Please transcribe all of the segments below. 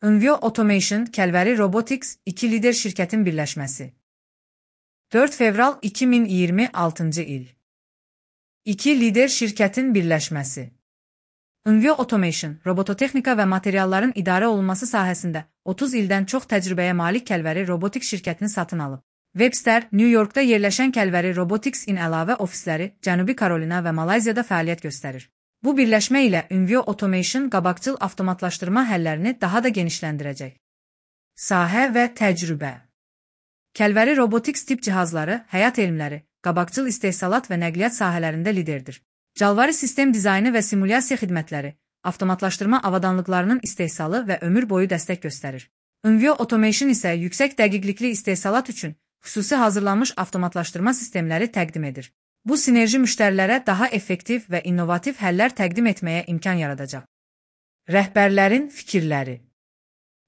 Envio Automation, Kəlvəri Robotics, iki lider şirkətin birləşməsi. 4 fevral 2026 il. İki lider şirkətin birləşməsi. Envio Automation, robototexnika və materialların idarə olunması sahəsində 30 ildən çox təcrübəyə malik Kəlvəri Robotics şirkətini satın alıb. Webster, New Yorkda yerləşən Kəlvəri Robotics-in əlavə ofisləri Cənubi Karolina və Malayziyada fəaliyyət göstərir. Bu birləşmə ilə Envio Automation qabaqcıl avtomatlaşdırma həllərini daha da genişləndirəcək. Sahə və təcrübə. Kəlvəri Robotics tip cihazları, həyat elmləri, qabaqcıl istehsalat və nəqliyyat sahələrində liderdir. Calvarı sistem dizaynı və simulyasiya xidmətləri, avtomatlaşdırma avadanlıqlarının istehsalı və ömür boyu dəstək göstərir. Envio Automation isə yüksək dəqiqlikli istehsalat üçün xüsusi hazırlanmış avtomatlaşdırma sistemləri təqdim edir. Bu sinerji müştərilərə daha effektiv və innovativ həllər təqdim etməyə imkan yaradacaq. Rəhbərlərin fikirləri.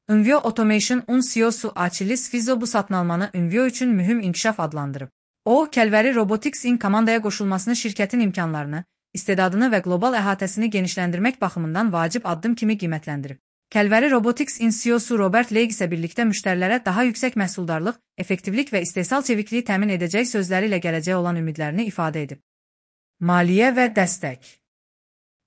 Envio Automation-un CEO-su Achilis Fizo bu satın almanı Envio üçün mühüm inkişaf adlandırıb. O, Kəlvəri Robotics-in komandaya qoşulmasını şirkətin imkanlarını, istedadını və qlobal əhatəsini genişləndirmək baxımından vacib addım kimi qiymətləndirib. Kəlvəri Robotics-in CEO-su Robert Leigh isə birlikdə müştərilərə daha yüksək məhsuldarlıq, effektivlik və istehsal çevikliyi təmin edəcək sözləri ilə gələcəyə olan ümidlərini ifadə edib. Maliyyə və dəstək.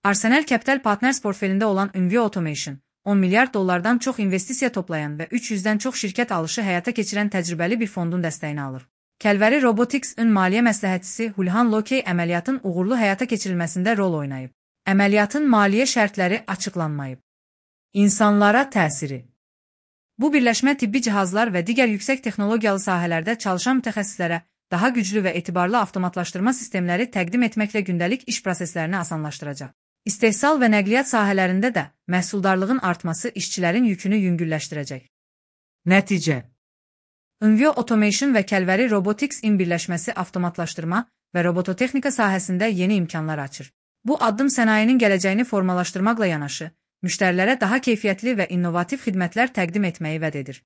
Arsenal Capital Partners portfelində olan Envio Automation, $10 milyard çox investisiya toplayan və 300-dən çox şirkət alışı həyata keçirən təcrübəli bir fondun dəstəyini alır. Kəlvəri Robotics-ün maliyyə məsləhətçisi Hulhan Lokey əməliyyatın uğurlu həyata keçirilməsində rol oynayıb. Əməliyyatın maliyyə şərtləri açıqlanmayıb. İnsanlara təsiri. Bu birləşmə tibbi cihazlar və digər yüksək texnologiyalı sahələrdə çalışan mütəxəssislərə daha güclü və etibarlı avtomatlaşdırma sistemləri təqdim etməklə gündəlik iş proseslərini asanlaşdıracaq. İstehsal və nəqliyyat sahələrində də məhsuldarlığın artması işçilərin yükünü yüngülləşdirəcək. Nəticə. Envio Automation və Kəlvəri Robotics-in birləşməsi avtomatlaşdırma və robototexnika sahəsində yeni imkanlar açır. Bu addım sənayinin gələcəyini formalaşdırmaqla yanaşı, müştərilərə daha keyfiyyətli və innovativ xidmətlər təqdim etməyi vəd edir.